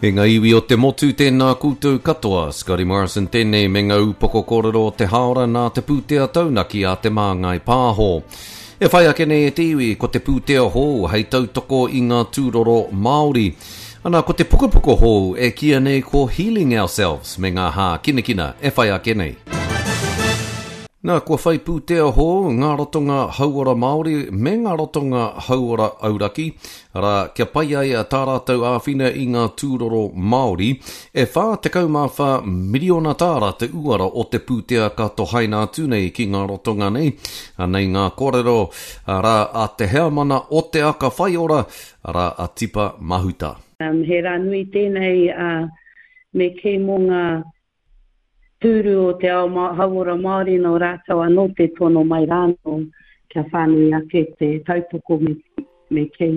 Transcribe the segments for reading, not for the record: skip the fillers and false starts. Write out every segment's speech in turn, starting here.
E ngā iwi o te motu, tēnā koutou katoa. Scotty Morrison tēnei me ngā upoko kōrero o te hāora nā te pūtea taunaki a Te Māngai Pāho. E whai ake nei e te iwi, ko te pūtea hou hei tautoko i ngā tūroro Māori. Ana, ko te pukapuka hou e kīia nei ko Healing Ourselves me ngā hākinakina e whai ake nei. Nā, kua whai pūtea hou ngā ratonga hauora Māori me ngā ratonga hauora auraki, arā, kia pai ai tā rātou āwhina i ngā tūroro Māori. E 44 miriona tāra te uara o te pūtea ka tohaina atu nei ki ngā ratonga nei. Anei ngā kōrero, arā, a te heamana o Te Aka Whaiora, arā, a Tipa Mahuta. He rā nui tēnei, ā, me kī mō ngā Tūru o te ao hauora Māori nō rātou anō te tono mai rānō kia whānui ake te tautoko me, me kī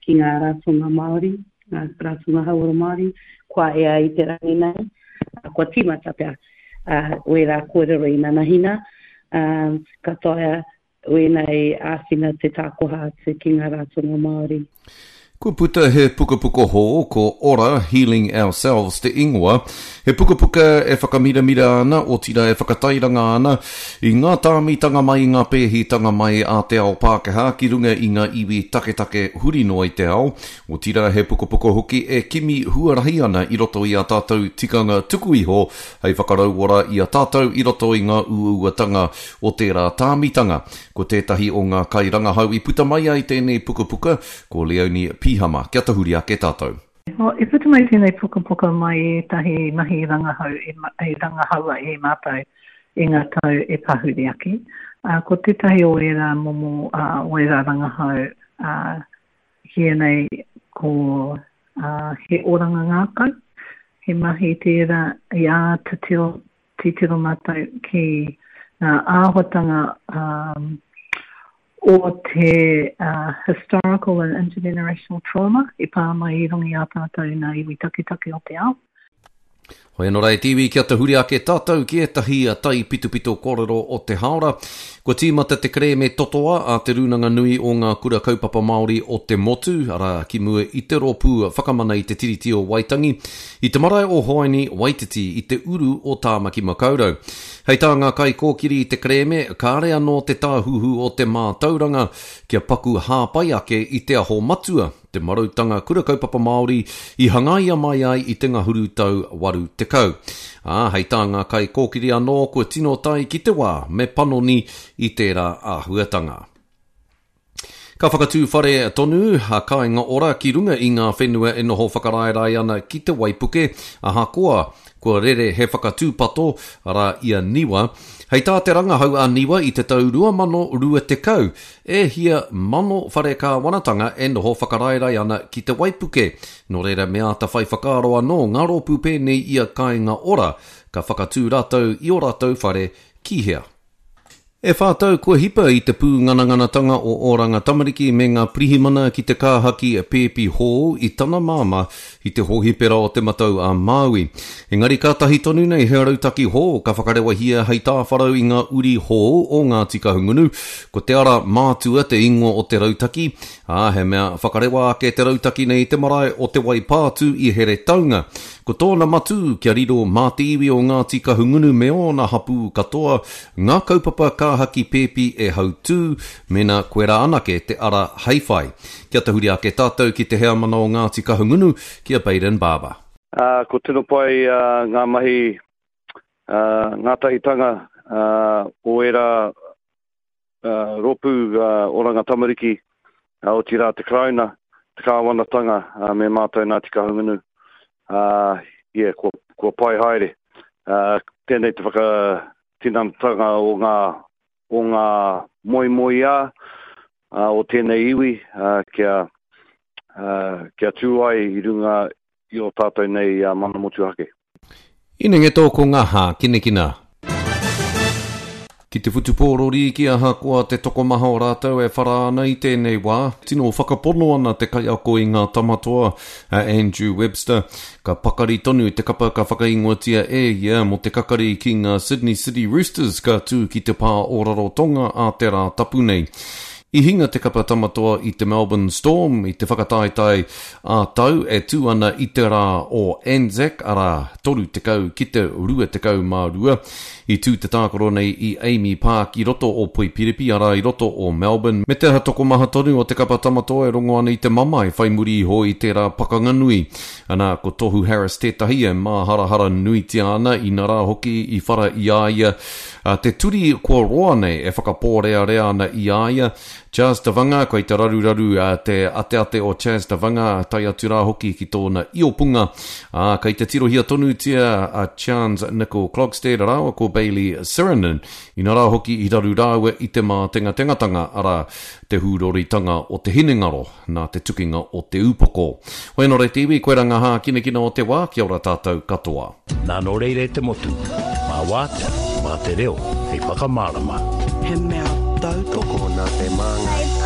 ki ngā ratonga Māori, ngā ratonga hauora Māori, kua ea i te rangi nei, kua tīmata pea wērā kōrero inanahina, ka taea Wēnei āwhina te tākoha atu ki ngā ratonga Māori. Kua puta he pukapuka hou, ko Ora, Healing Ourselves te ingoa. He pukapuka e whakamiramira ana, otirā e whakatairanga ana, i ngā tāmitanga mai, i ngā pēhitanga mai a te ao Pākehā ki runga i ngā iwi taketake huri noa i te ao. Otirā he pukapuka hoki e kimi huarahi ana i roto i ā tātou tikanga tuku iho hei whakarauora i a tātou i roto i ngā uauatanga o tērā tāmitanga. Ko tētahi o ngā kairangahau i puta mai ai tēnei pukapuka, ko Leonie Pihama. Kia tahuri ake tātou. I puta mai tēnei pukapuka mai i ētahi mahi rangahau i rangahaua e mātou i ngā tau e pahure ake. Ko tētahi o ērā momo, o ērā rangahau, kīia nei ko He Oranga Ngākau. He mahi tērā i āta titiro mātou ki ngā āhuatanga o te historical and intergenerational trauma i pā mai i runga i a tātou ngā iwi taketake o te ao. Hoi anō rā e te iwi kia tahuri ake tātou ki ētahi taipitopito kōrero o te hāora. Kua tīmata te kerēme totoa a Te Rūnanga Nui o Ngā Kura Kaupapa Māori o te Motu, arā, ki mua i te Rōpū Whakamana i te Tiriti o Waitangi, i te marae o Hoani Waititi i te uru o Tāmaki Makaurau. Hei tā ngā kaikōkiri i te kerēme, kāre anō te Tāhuhu o te Mātauranga kia paku hāpai ake i Te Aho Matua, te marautanga kura kaupapa Māori i hangaia mai ai i te ngahuru tau 80. Ā, hei tā ngā kaikōkiri anō kua tino tae ki te wā me panoni i tērā āhuatanga. Ka whakatū whare tonu a Kāinga Ora ki runga i ngā whenua e noho whakaraerae ana ki te waipuke, ahakoa kua rere he whakatūpato, arā, i a Niwa. Hei tā te rangahau a Niwa i te tau 2020, E hia mano whare kāwanatanga e noho whakaraerae ana ki te waipuke, nō reira me āta whai whakaaro anō ngā rōpū pēnei i a Kāinga Ora, ka whakatū rātou i ō rātou whare ki hea. E whā tau kua hipa i te pūngananganatanga o Oranga Tamariki me ngā pirihimana ki te kāhaki pēpi hou i tana māmā i te hōhipera o Te Matau a Māui. Engari kātahi tonu nei he rautaki hou ka whakarewahia hei tāwharau i ngā uri hou o Ngāti Kahungunu. Ko Te Ara Mātua te ingoa o te rautaki, ā, he mea whakarewa ake te rautaki nei i te marae o Te Waipātū i Heretaunga. Ko tōna matū kia riro mā te iwi o Ngāti Kahungunu me ōna hapū katoa ngā kaupapa kāhaki pēpi e hautū, mēnā koirā anake te ara hei whai. Kia tahuri ake tātou ki te heamana o Ngāti Kahungunu, ki a Bayden Barber. Ā, ko tino pai ngā mahi ngātahitanga o ērā rōpū Oranga Tamariki, otirā te Karauna, te Kāwanatanga me mātou Ngāti Kahungunu, ā, yeah, kua, kua pai haere. Tēnei te whakatinanatanga o ngā, o ngā moemoeā o tēnei iwi kia, kia tū ai i runga i ō tātou nei mana motuhake. Inengeto ko ngā hākinakina. Ki te whutupōro rīki ahakoa te tokomaha o rātou e whara ana i tēnei wā, tino whakapono ana te kaiako i ngā tamatoa, a Andrew Webster, ka pakari tonu te kapa ka whakaingoatia e ia mō te kakari ki ngā Sydney City Roosters ka tū ki te pā o Rarotonga ā te Rātapu nei. I hinga te kapa Tamatoa i te Melbourne Storm i te whakataetae ā-tau e tū ana i te rā o Anzac, arā, 30 ki te 22. I tū te tākaro nei i Amy Park i roto o Poipiripi, arā, i roto o Melbourne, me te aha tokomaha tonu o te kapa Tamatoa e rongo ana i te mamae whai muri iho i tērā pakanga nui. Ana, ko Tohu Harris tētahi e māharahara nuitia ana, inarā hoki i whara i a ia A te turi kua roa nei e whakapōrearea ana i a ia, Chas Tavanga, kei te raruraru te ateate o Chas Tavanga, tae atu rā hoki ki tōna iopunga, ā, kei te tirohia tonutia a Chans Nicol Klogstead rāua ko Bailey Sirenen, inarā hoki i raru rāua i te mātengatengatanga, arā, te hūroritanga o te hinengaro. Nā te tukinga o te upoko. Hoi anō re te iwi, koirā ngā hākinakina o te wā, kia ora tātou katoa. Nā nō reira e te motu, mā wātea, mā te reo hei whakamārama. He mea tautoko. Tokona te māngai.